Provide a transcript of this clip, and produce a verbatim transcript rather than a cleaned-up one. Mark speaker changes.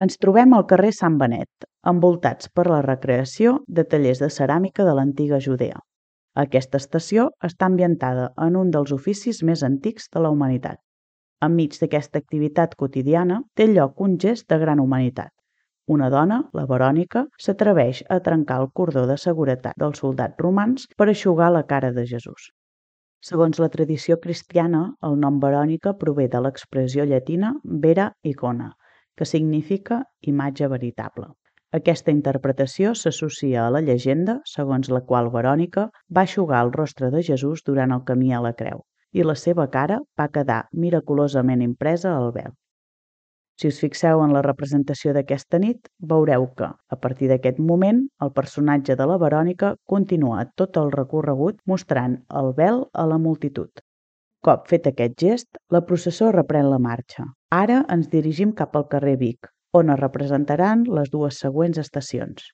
Speaker 1: Ens trobem al carrer Sant Benet, envoltats per la recreació de tallers de ceràmica de l'antiga Judea. Aquesta estació està ambientada en un dels oficis més antics de la humanitat. Enmig d'aquesta activitat quotidiana té lloc un gest de gran humanitat. Una dona, la Verònica, s'atreveix a trencar el cordó de seguretat dels soldats romans per eixugar la cara de Jesús. Segons la tradició cristiana, el nom Verònica prové de l'expressió llatina vera icona, que significa imatge veritable. Aquesta interpretació s'associa a la llegenda segons la qual Verònica va eixugar el rostre de Jesús durant el camí a la creu, i la seva cara va quedar miraculosament impresa al vel. Si us fixeu en la representació d'aquesta nit, veureu que, a partir d'aquest moment, el personatge de la Verònica continua tot el recorregut mostrant el vel a la multitud. Cop fet aquest gest, la processó reprèn la marxa. Ara ens dirigim cap al carrer Vic, on es representaran les dues següents estacions.